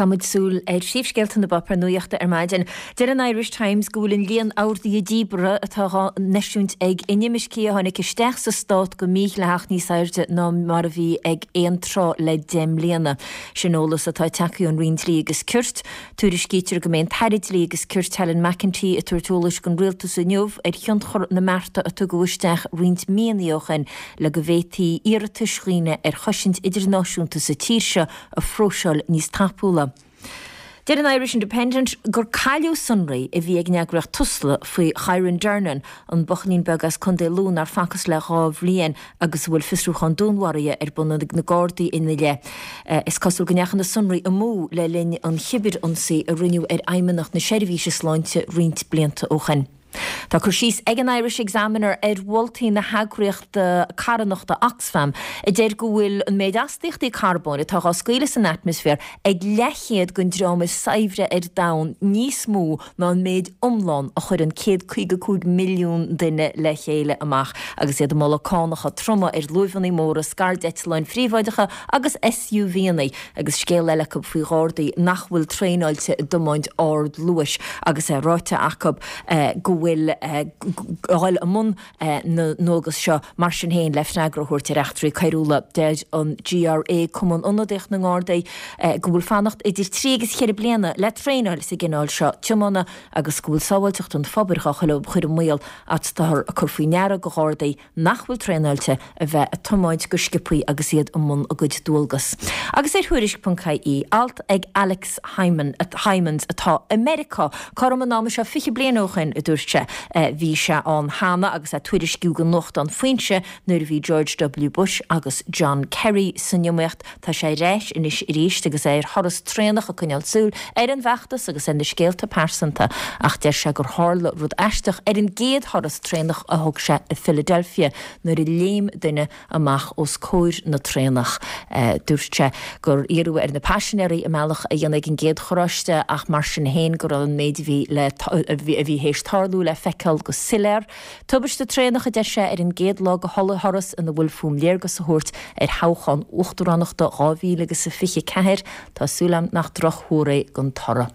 Caithfimid súil ar phríomhscéalta na bpáipéar nuachta ar maidin. Deir an Irish Times go bhfuil an líon orduithe díbeartha atá á n-eisiúint ag inimircigh a tháinig isteach sa stát go mídhleathach níos airde ná mar a bhí ag aon tráth le 10 mbliana. Sin eolas atá tagtha ón Roinn Dlí agus Cirt. Tuairiscítear go mbeidh an tAire Dlí agus Cirt Helen McEntee ag tabhairt eolais don Rialtas inniu ar thionchar na mbearta a tugadh isteach roinnt míonna ó shin le go bhféadfaí iarratais dhaoine ar chosaint idirnáisiúnta sa tír seo a phróiseáil níos tapúla. Deir an Irish Independent gur cailleadh sonraí a bhí ag an eagraíocht Tusla faoi Kyran Durnin, an buachaillín beag as Contae Lú nár facthas le 2 bhliain agus a bhfuil fiosrúchán dúnmharaithe ar bun ag na Gardaí ina leith. Is cosúil go ndeachaigh na sonraí amú le linn an chibirionsaí a rinneadh ar Fheidhmeannacht na Seirbhíse Sláinte roinnt blianta ó shin. Tá cur síos ag an Irish Examiner ar mholtaí na heagraíochta carthanachta Oxfam a deir go bhfuil an méid astaíochtaí carbóin atá dhá scaoileadh san atmaisféar ag leathchéad den dream is saibhre ar domhan níos mó ná an méid iomlán a chuireann 155 milliún duine le chéile amach agus iad ag moladh cánacha troma ar luaimheanna móra, scairdeitleáin phríobháideacha agus SUVanna. Agus scéal eile acu faoi ghardaí nach bhfuil traenáilte i dtiomáint ardluais agus é ráite acu go bhfuil a dhul i mbun na ndualgas seo mar sin féin le freagra a thabhairt ar eachtraí coiriúla. Deir an GRA, Cumann Ionadaíoch na nGardaí, go bhfuil fanacht idir trí agus cheithre bliana le traenáil sa gcineál seo tiomána agus go bhfuil sábháilteacht an phobail dhá chur i mbaol ach táthar ag cur faoi ndeara do ghardaí nach bhfuil traenáilte a bheith ag tiomáint go sciobthaí agus iad i mbun a gcuid dualgas. Agus ar Thuairisc.ie, alt ag Alex Hijmans atá i Meiriceá, cothrom an ama seo 20 bliain ó shin, a dúirt sé. Bhí sé ann cheana agus é ag tuairisciú don nuachtán Foinse nuair a bhí George W Bush agus John Kerry san iomaíocht. Tá sé ar ais anois arís agus é ar thuras traenach ag coinneáil súil ar an bhfeachtas agus ar na scéalta pearsanta ach deir sé gur tharla rud aisteach ar an gcéad thuras traenach a thug sé i Philadelphia nuair a léim duine amach os comhair na traenach. Dúirt sé gur iarradh ar na paisinéirí a mbealach a dhéanamh ag an gcéad charráiste ach mar sin féin go raibh an méid a bhí le a bhí théis tarlú le feiceáil go soiléir. Tubaiste traenach, a deir sé, ar an gcéad lá de thuras ina bhfuil fúm léargas a thabhairt ar thoghchán uachtaránachta 2024. Tá súil agam nach drochthuar é don toradh.